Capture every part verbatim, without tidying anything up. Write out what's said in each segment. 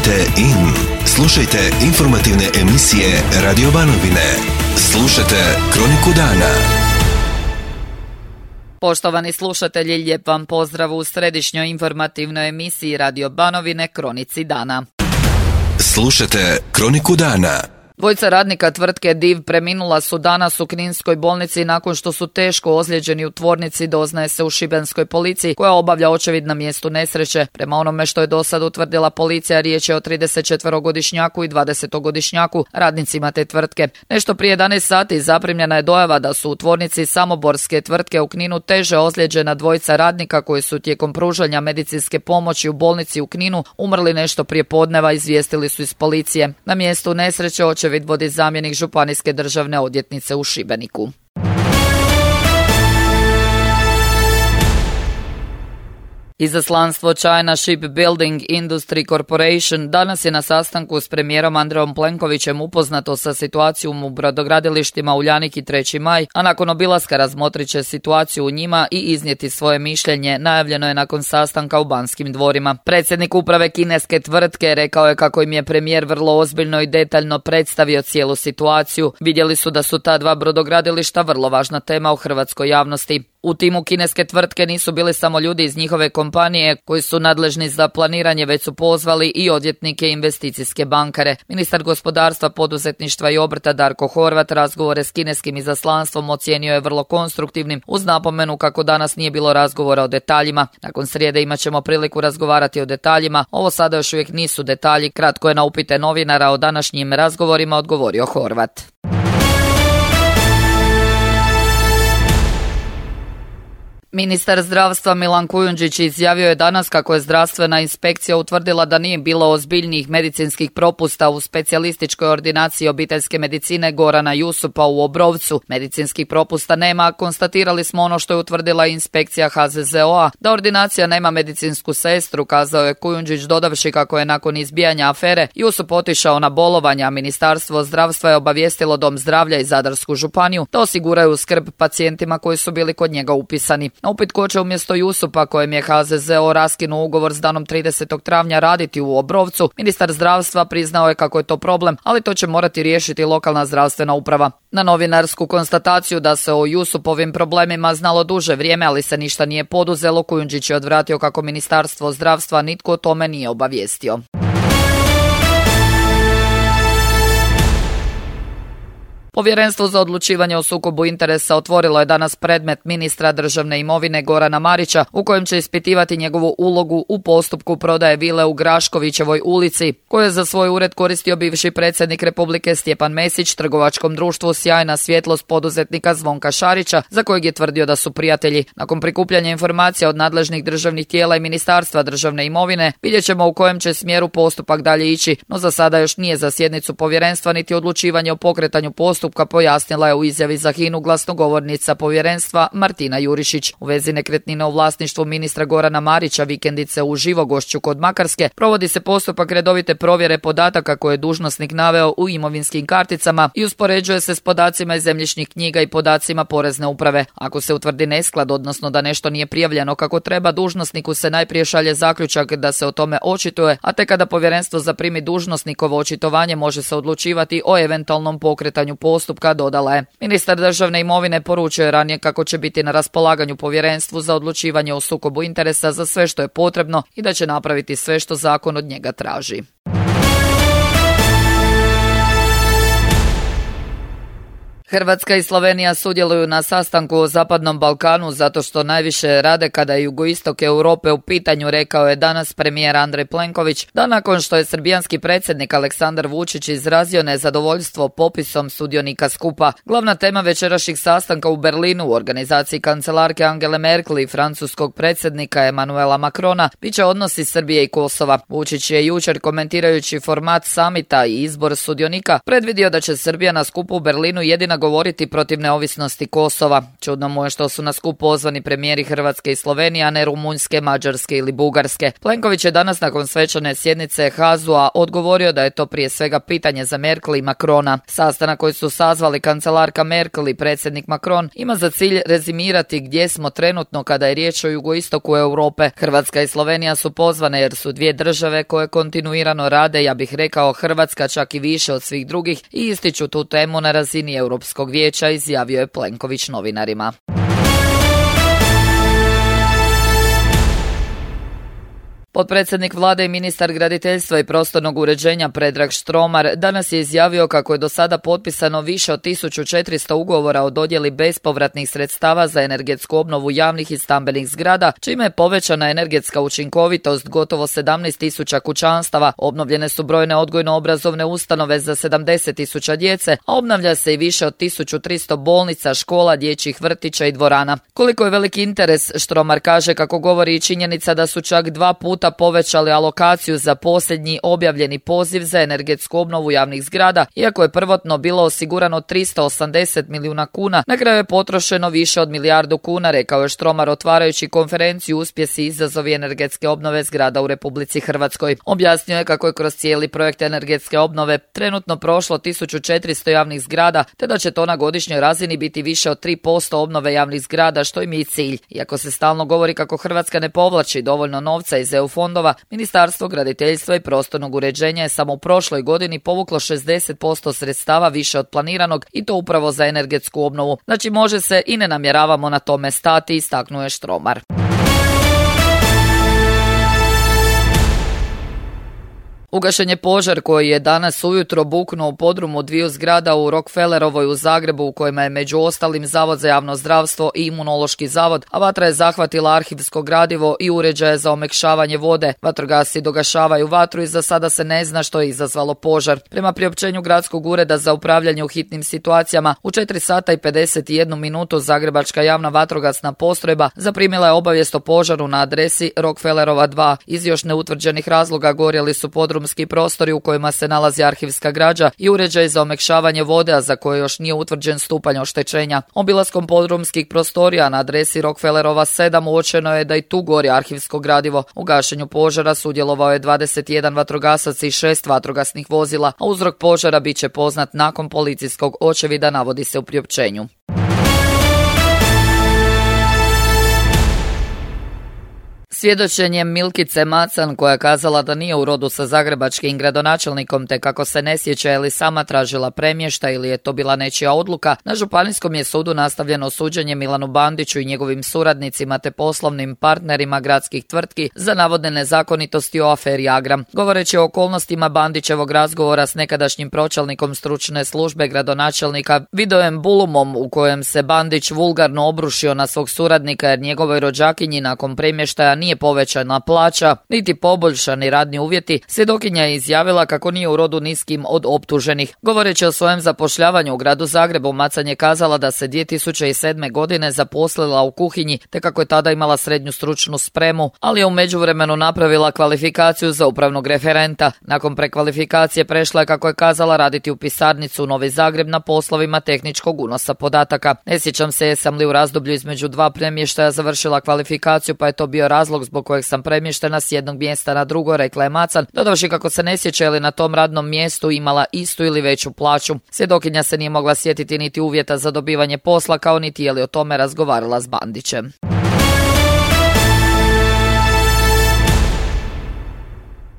Kliknite in. Slušajte informativne emisije Radio Banovine. Slušajte Kroniku dana. Poštovani slušatelji, lijep vam pozdrav u središnjoj informativnoj emisiji Radio Banovine Kronici dana. Slušajte Kroniku dana. Dvojica radnika tvrtke Div preminula su danas u Kninskoj bolnici nakon što su teško ozlijeđeni u tvornici, doznaje se u šibenskoj policiji koja obavlja očevid na mjestu nesreće. Prema onome što je do sad utvrdila policija, riječ je o tridesetčetverogodišnjaku i dvadesetogodišnjaku radnicima te tvrtke. Nešto prije jedanaest sati zaprimljena je dojava da su u tvornici samoborske tvrtke u Kninu teže ozlijeđena dvojica radnika koji su tijekom pružanja medicinske pomoći u bolnici u Kninu umrli nešto prije podneva, izvijestili su iz policije. Na mjestu nesreće očevid vodi zamjenik županijske državne odvjetnice u Šibeniku. Izaslanstvo China Shipbuilding Industry Corporation danas je na sastanku s premijerom Andrejom Plenkovićem upoznato sa situacijom u brodogradilištima Uljanik i treći maj, a nakon obilaska razmotrit će situaciju u njima i iznijeti svoje mišljenje, najavljeno je nakon sastanka u Banskim dvorima. Predsjednik uprave kineske tvrtke rekao je kako im je premijer vrlo ozbiljno i detaljno predstavio cijelu situaciju. Vidjeli su da su ta dva brodogradilišta vrlo važna tema u hrvatskoj javnosti. U timu kineske tvrtke nisu bili samo ljudi iz njihove kompanije koji su nadležni za planiranje, već su pozvali i odvjetnike i investicijske bankare. Ministar gospodarstva, poduzetništva i obrta Darko Horvat razgovore s kineskim izaslanstvom ocijenio je vrlo konstruktivnim, uz napomenu kako danas nije bilo razgovora o detaljima. Nakon srijede imat ćemo priliku razgovarati o detaljima. Ovo sada još uvijek nisu detalji, kratko je na upite novinara o današnjim razgovorima odgovorio Horvat. Ministar zdravstva Milan Kujundžić izjavio je danas kako je zdravstvena inspekcija utvrdila da nije bilo ozbiljnijih medicinskih propusta u specijalističkoj ordinaciji obiteljske medicine Gorana Jusupa u Obrovcu. Medicinskih propusta nema, konstatirali smo ono što je utvrdila inspekcija H Z Z O A, da ordinacija nema medicinsku sestru, kazao je Kujundžić dodavši kako je nakon izbijanja afere Jusup otišao na bolovanja, a Ministarstvo zdravstva je obavijestilo Dom zdravlja i Zadarsku županiju da osiguraju skrb pacijentima koji su bili kod njega upisani. Na upit ko će umjesto Jusupa, kojem je H Z Z O raskinuo ugovor s danom tridesetog travnja raditi u Obrovcu, ministar zdravstva priznao je kako je to problem, ali to će morati riješiti lokalna zdravstvena uprava. Na novinarsku konstataciju da se o Jusupovim problemima znalo duže vrijeme, ali se ništa nije poduzelo, Kujundžić je odvratio kako Ministarstvo zdravstva nitko o tome nije obavijestio. Povjerenstvo za odlučivanje o sukobu interesa otvorilo je danas predmet ministra državne imovine Gorana Marića u kojem će ispitivati njegovu ulogu u postupku prodaje vile u Graškovićevoj ulici, koju je za svoj ured koristio bivši predsjednik Republike Stjepan Mesić trgovačkom društvu Sjajna svjetlost poduzetnika Zvonka Šarića, za kojeg je tvrdio da su prijatelji. Nakon prikupljanja informacija od nadležnih državnih tijela i Ministarstva državne imovine, vidjet ćemo u kojem će smjeru postupak dalje ići, no za sada još nije za sjednicu povjerenstva niti odlučivanje o pokretanju postupka, pojasnila je u izjavi za Hinu glasnogovornica povjerenstva Martina Jurišić. U vezi nekretnine u vlasništvu ministra Gorana Marića vikendice u Živogošću kod Makarske provodi se postupak redovite provjere podataka koje je dužnosnik naveo u imovinskim karticama i uspoređuje se s podacima iz zemljišnih knjiga i podacima porezne uprave. Ako se utvrdi nesklad, odnosno da nešto nije prijavljeno kako treba, dužnosniku se najprije šalje zaključak da se o tome očituje, a tek kada povjerenstvo zaprimi dužnosnikovo očitovanje može se odlučivati o eventualnom pokretanju postupka. Postupka, dodala je. Ministar državne imovine poručio je ranije kako će biti na raspolaganju povjerenstvu za odlučivanje o sukobu interesa za sve što je potrebno i da će napraviti sve što zakon od njega traži. Hrvatska i Slovenija sudjeluju na sastanku o Zapadnom Balkanu zato što najviše rade kada je jugoistok Europe u pitanju, rekao je danas premijer Andrej Plenković, da nakon što je srbijanski predsjednik Aleksandar Vučić izrazio nezadovoljstvo popisom sudionika skupa. Glavna tema večerašnjeg sastanka u Berlinu u organizaciji kancelarke Angele Merkel i francuskog predsjednika Emanuela Macrona bit će odnosi Srbije i Kosova. Vučić je jučer komentirajući format samita i izbor sudionika predvidio da će Srbija na skupu u Berlinu jedina govoriti protiv neovisnosti Kosova. Čudno mu je što su na skup pozvani premijeri Hrvatske i Slovenije, a ne Rumunjske, Mađarske ili Bugarske. Plenković je danas nakon svečane sjednice H A Z U-a odgovorio da je to prije svega pitanje za Merkel i Macrona. Sastanak koji su sazvali kancelarka Merkel i predsjednik Macron ima za cilj rezimirati gdje smo trenutno kada je riječ o jugoistoku Europe. Hrvatska i Slovenija su pozvane jer su dvije države koje kontinuirano rade, ja bih rekao Hrvatska čak i više od svih drugih, i ističu tu temu na razini Europskog vijeća, izjavio je Plenković novinarima. Potpredsjednik vlade i ministar graditeljstva i prostornog uređenja Predrag Štromar danas je izjavio kako je do sada potpisano više od tisuću četiristo ugovora o dodjeli bespovratnih sredstava za energetsku obnovu javnih i stambenih zgrada, čime je povećana energetska učinkovitost gotovo sedamnaest tisuća kućanstava, obnovljene su brojne odgojno-obrazovne ustanove za sedamdeset tisuća djece, a obnavlja se i više od tisuću tristo bolnica, škola, dječjih vrtića i dvorana. Koliko je veliki interes, Štromar kaže kako govori i činjenica da su čak dva puta povećali alokaciju za posljednji objavljeni poziv za energetsku obnovu javnih zgrada, iako je prvotno bilo osigurano tristo osamdeset milijuna kuna, na kraju je potrošeno više od milijardu kuna, rekao je Štromar otvarajući konferenciju Uspjesi i izazovi energetske obnove zgrada u Republici Hrvatskoj. Objasnio je kako je kroz cijeli projekt energetske obnove trenutno prošlo tisuću četiristo javnih zgrada, te da će to na godišnjoj razini biti više od tri posto obnove javnih zgrada, što im je i cilj. Iako se stalno govori kako Hrvatska ne povlači dovoljno novca iz E U fondova, Ministarstvo graditeljstva i prostornog uređenja je samo u prošloj godini povuklo šezdeset posto sredstava više od planiranog, i to upravo za energetsku obnovu. Znači može se i ne namjeravamo na tome stati, istaknuo je Štromar. Ugašen je požar koji je danas ujutro buknuo u podrumu dviju zgrada u Rockefellerovoj u Zagrebu, u kojima je među ostalim Zavod za javno zdravstvo i Imunološki zavod, a vatra je zahvatila arhivsko gradivo i uređaje za omekšavanje vode. Vatrogasci dogašavaju vatru i za sada se ne zna što je izazvalo požar. Prema priopćenju Gradskog ureda za upravljanje u hitnim situacijama, u četiri sata i pedeset jednu minutu Zagrebačka javna vatrogasna postrojba zaprimila je obavijest o požaru na adresi Rockefellerova dva. Iz još neutvrđenih razloga gorjeli su podrum prostori u kojima se nalazi arhivska građa i uređaj za omekšavanje vode, a za koje još nije utvrđen stupanj oštećenja. Obilaskom podrumskih prostorija na adresi Rockefellerova sedam uočeno je da i tu gori arhivsko gradivo. U gašenju požara sudjelovao je dvadeset jedan vatrogasac i šest vatrogasnih vozila, a uzrok požara bit će poznat nakon policijskog očevida, navodi se u priopćenju. Svjedočenjem Milkice Macan, koja je kazala da nije u rodu sa zagrebačkim gradonačelnikom te kako se ne sjeća je li sama tražila premještaj ili je to bila nečija odluka, na Županijskom je sudu nastavljeno suđenje Milanu Bandiću i njegovim suradnicima te poslovnim partnerima gradskih tvrtki za navodne nezakonitosti o aferi Agram. Govoreći o okolnostima Bandićevog razgovora s nekadašnjim pročelnikom stručne službe gradonačelnika Vidojem Bulumom, u kojem se Bandić vulgarno obrušio na svog suradnika jer njegovoj rođakinji nakon premještaja nije povećana plaća, niti poboljšani radni uvjeti, svjedokinja je izjavila kako nije u rodu niskim od optuženih. Govoreći o svojem zapošljavanju u gradu Zagrebu, Macan je kazala da se dvije tisuće sedme. godine zaposlila u kuhinji, te kako je tada imala srednju stručnu spremu, ali je u međuvremenu napravila kvalifikaciju za upravnog referenta. Nakon prekvalifikacije prešla je, kako je kazala, raditi u pisarnicu u Novi Zagreb na poslovima tehničkog unosa podataka. Ne sjećam se jesam li u razdoblju između dva premještaja završila kvalifikaciju, pa je to bio razlog zbog kojeg sam premještena s jednog mjesta na drugo, rekla je Macan, dodavši kako se ne sjeća li na tom radnom mjestu imala istu ili veću plaću. Svjedokinja se nije mogla sjetiti niti uvjeta za dobivanje posla, kao niti je li o tome razgovarala s Bandićem.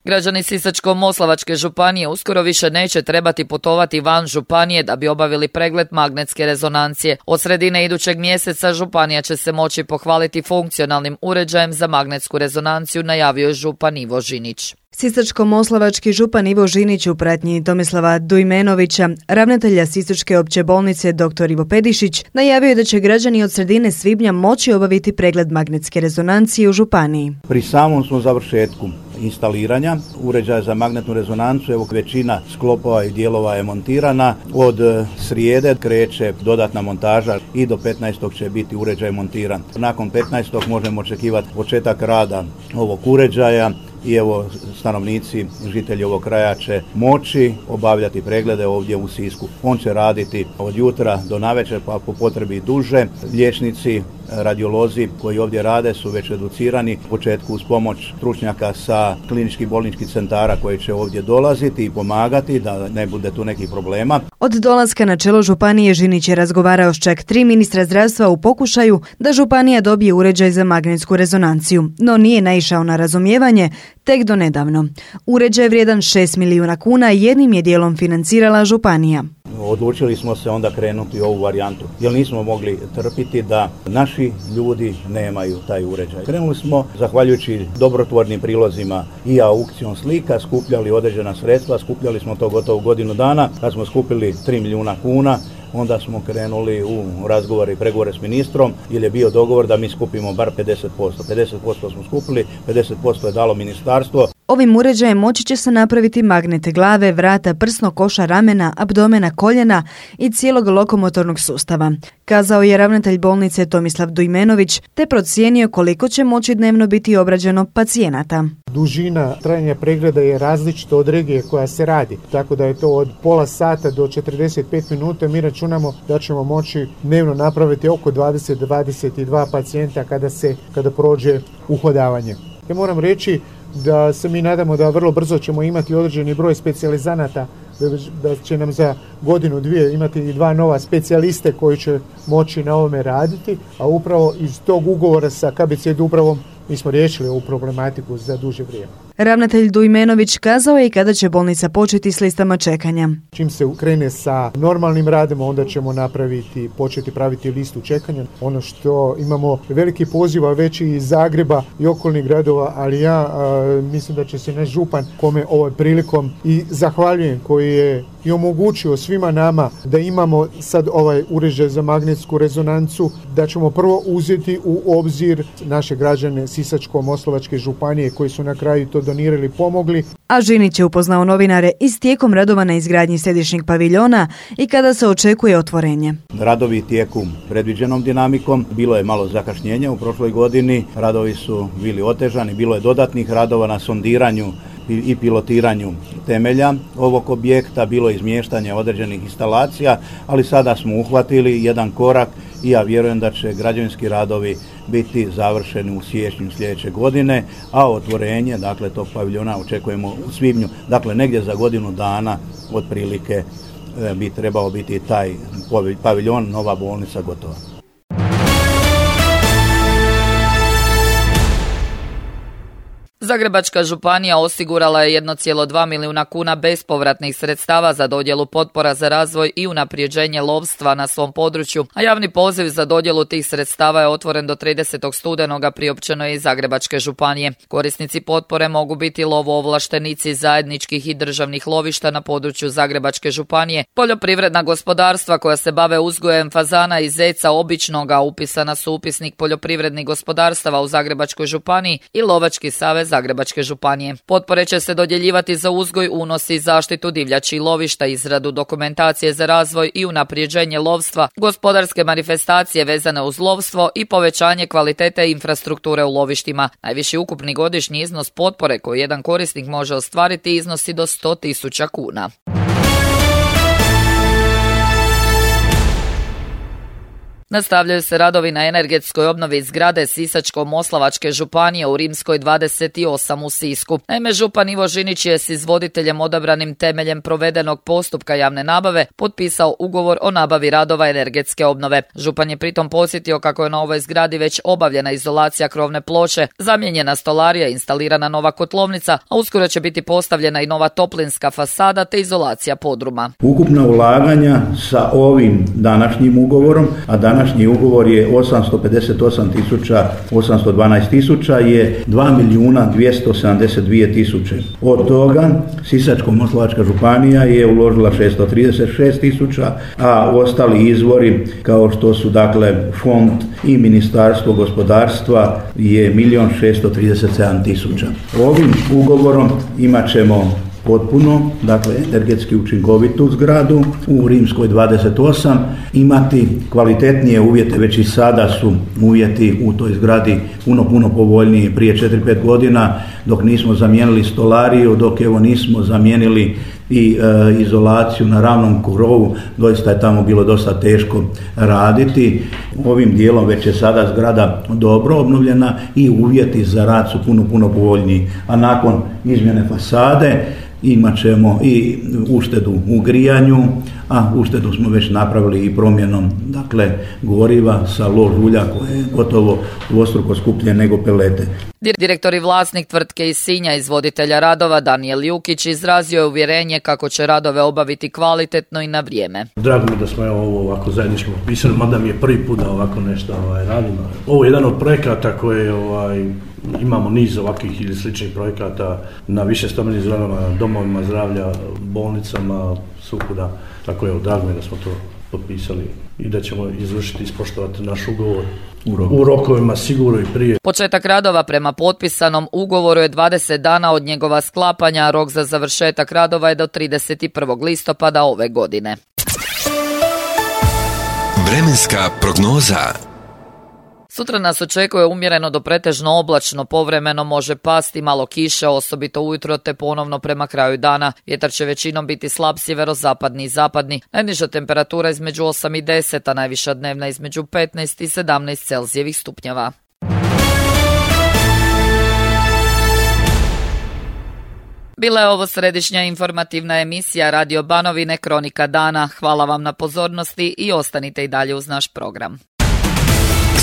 Građani Sisačko-moslavačke županije uskoro više neće trebati putovati van županije da bi obavili pregled magnetske rezonancije. Od sredine idućeg mjeseca županija će se moći pohvaliti funkcionalnim uređajem za magnetsku rezonanciju, najavio je župan Ivo Žinić. Sisačko-moslavački župan Ivo Žinić u pratnji Tomislava Dujmenovića, ravnatelja Sisačke opće bolnice dr. Ivo Pedišić, najavio je da će građani od sredine svibnja moći obaviti pregled magnetske rezonancije u županiji. Pri samom smo završetku instaliranja uređaja za magnetnu rezonancu, evo većina sklopova i dijelova je montirana. Od srijede kreće dodatna montaža i do petnaestog će biti uređaj montiran. Nakon petnaestog možemo očekivati početak rada ovog uređaja i evo stanovnici, žitelji ovog kraja će moći obavljati preglede ovdje u Sisku. On će raditi od jutra do navečer, pa po potrebi duže. Liječnici, radiolozi koji ovdje rade su već educirani u početku uz pomoć stručnjaka sa kliničkih bolničkih centara koji će ovdje dolaziti i pomagati da ne bude tu nekih problema. Od dolaska na čelo županije Žinić je razgovarao s čak tri ministra zdravstva u pokušaju da županija dobije uređaj za magnetsku rezonanciju, no nije naišao na razumijevanje tek do nedavno. Uređaj vrijedan šest milijuna kuna jednim je dijelom financirala županija. Odlučili smo se onda krenuti u ovu varijantu, jer nismo mogli trpiti da naši ljudi nemaju taj uređaj. Krenuli smo, zahvaljujući dobrotvornim prilozima i aukcijom slika, skupljali određena sredstva, skupljali smo to gotovo godinu dana. Kad smo skupili tri milijuna kuna, onda smo krenuli u razgovore i pregovore s ministrom, jer je bio dogovor da mi skupimo bar pedeset posto. pedeset posto smo skupili, pedeset posto je dalo ministarstvo. Ovim uređajem moći će se napraviti magnete glave, vrata, prsnog koša, ramena, abdomena, koljena i cijelog lokomotornog sustava, kazao je ravnatelj bolnice Tomislav Dujmenović, te procijenio koliko će moći dnevno biti obrađeno pacijenata. Dužina trajanja pregleda je različita od regije koja se radi, tako da je to od pola sata do četrdeset pet minuta. Mi računamo da ćemo moći dnevno napraviti oko dvadeset do dvadeset dva pacijenta kada se kada prođe uhodavanje. Ja moram reći da se mi nadamo da vrlo brzo ćemo imati određeni broj specijalizanata, da će nam za godinu dvije imati i dva nova specijaliste koji će moći na ovome raditi, a upravo iz tog ugovora sa K B C Dubravom mi smo riješili ovu problematiku za duže vrijeme. Ravnatelj Dujmenović kazao je i kada će bolnica početi s listama čekanja. Čim se krene sa normalnim radom, onda ćemo napraviti, početi praviti listu čekanja. Ono što imamo veliki poziva već iz Zagreba i okolnih gradova, ali ja a, mislim da će se naš župan, kome ovaj prilikom i zahvaljujem, koji je i omogućio svima nama da imamo sad ovaj uređaj za magnetsku rezonancu, da ćemo prvo uzeti u obzir naše građane Sisačko-moslavačke županije koji su na kraju to donirali, pomogli. A Žinić je upoznao novinare i s tijekom radova na izgradnji središnjeg paviljona i kada se očekuje otvorenje. Radovi tijeku predviđenom dinamikom, bilo je malo zakašnjenja u prošloj godini, radovi su bili otežani, bilo je dodatnih radova na sondiranju i pilotiranju temelja ovog objekta, bilo je izmještanje određenih instalacija, ali sada smo uhvatili jedan korak i ja vjerujem da će građevinski radovi biti završeni u siječnju sljedeće godine, a otvorenje, dakle, tog paviljona očekujemo u svibnju, dakle negdje za godinu dana otprilike bi trebao biti taj paviljon, nova bolnica gotova. Zagrebačka županija osigurala je jedan zarez dva milijuna kuna bespovratnih sredstava za dodjelu potpora za razvoj i unaprijeđenje lovstva na svom području, a javni poziv za dodjelu tih sredstava je otvoren do tridesetog studenoga, priopćeno je iz Zagrebačke županije. Korisnici potpore mogu biti lovoovlaštenici zajedničkih i državnih lovišta na području Zagrebačke županije, poljoprivredna gospodarstva koja se bave uzgojem fazana i zeca običnoga, upisana su upisnik poljoprivrednih gospodarstava u Zagrebačkoj županiji, i Lovački savez Zagrebačke županije. Potpore će se dodjeljivati za uzgoj, unos i zaštitu divljači i lovišta, izradu dokumentacije za razvoj i unaprijeđenje lovstva, gospodarske manifestacije vezane uz lovstvo i povećanje kvalitete infrastrukture u lovištima. Najviši ukupni godišnji iznos potpore koji jedan korisnik može ostvariti iznosi do sto tisuća kuna. Nastavljaju se radovi na energetskoj obnovi zgrade Sisačko-moslavačke županije u Rimskoj dvadeset osam u Sisku. Naime, župan Ivo Žinić je s izvoditeljem odabranim temeljem provedenog postupka javne nabave potpisao ugovor o nabavi radova energetske obnove. Župan je pritom podsjetio kako je na ovoj zgradi već obavljena izolacija krovne ploče, zamijenjena stolarija, instalirana nova kotlovnica, a uskoro će biti postavljena i nova toplinska fasada te izolacija podruma. Ukupna ulaganja sa ovim današnjim ugovorom, a danas Današnji ugovor je osamsto pedeset osam tisuća osamsto dvanaest tisuća, je dva milijuna dvjesto sedamdeset dvije tisuće. Od toga Sisačko-moslavačka županija je uložila šesto trideset šest tisuća, a ostali izvori kao što su dakle fond i Ministarstvo gospodarstva je milijon šesto trideset sedam tisuća. Ovim ugovorom imat ćemo potpuno, dakle energetski učinkovitu zgradu, u Rimskoj dvadeset osam, imati kvalitetnije uvjete, već i sada su uvjeti u toj zgradi puno, puno povoljniji. Prije četiri pet godina dok nismo zamijenili stolariju, dok evo nismo zamijenili i e, izolaciju na ravnom krovu, doista je tamo bilo dosta teško raditi. Ovim dijelom već je sada zgrada dobro obnovljena i uvjeti za rad su puno, puno povoljniji. A nakon izmjene fasade imat ćemo i uštedu u grijanju, a uštedu smo već napravili i promjenom dakle goriva sa lož ulja koje je gotovo dvostruko skuplje nego pelete. Direktor i vlasnik tvrtke iz Sinja, izvoditelja radova Danijel Jukić, izrazio je uvjerenje kako će radove obaviti kvalitetno i na vrijeme. Drago mi da smo evo ovo ovako zajednički potpisali, mada mi je prvi put da ovako nešto ovaj, radimo. Ovo je jedan od projekata koje ovaj, imamo niz ovakvih ili sličnih projekata na više stambenim zgradama, domovima zdravlja, bolnicama, svukuda. Tako je, drago mi da smo to potpisali i da ćemo izvršiti i ispoštovati naš ugovor u, roku. u rokovima sigurno i prije. Početak radova prema potpisanom ugovoru je dvadeset dana od njegova sklapanja, a rok za završetak radova je do trideset prvog listopada ove godine. Vremenska prognoza. Sutra nas očekuje umjereno do pretežno oblačno, povremeno može pasti malo kiše, osobito ujutro te ponovno prema kraju dana. Vjetar će većinom biti slab sjeverozapadni i zapadni. Najniža temperatura između osam i deset, a najviša dnevna između petnaest i sedamnaest Celzijevih stupnjeva. Bila je ovo središnja informativna emisija Radio Banovine Kronika dana. Hvala vam na pozornosti i ostanite i dalje uz naš program.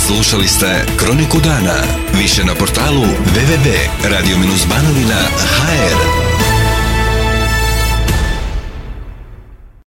Slušali ste Kroniku dana. Više na portalu w w w tačka radio banovina tačka h r.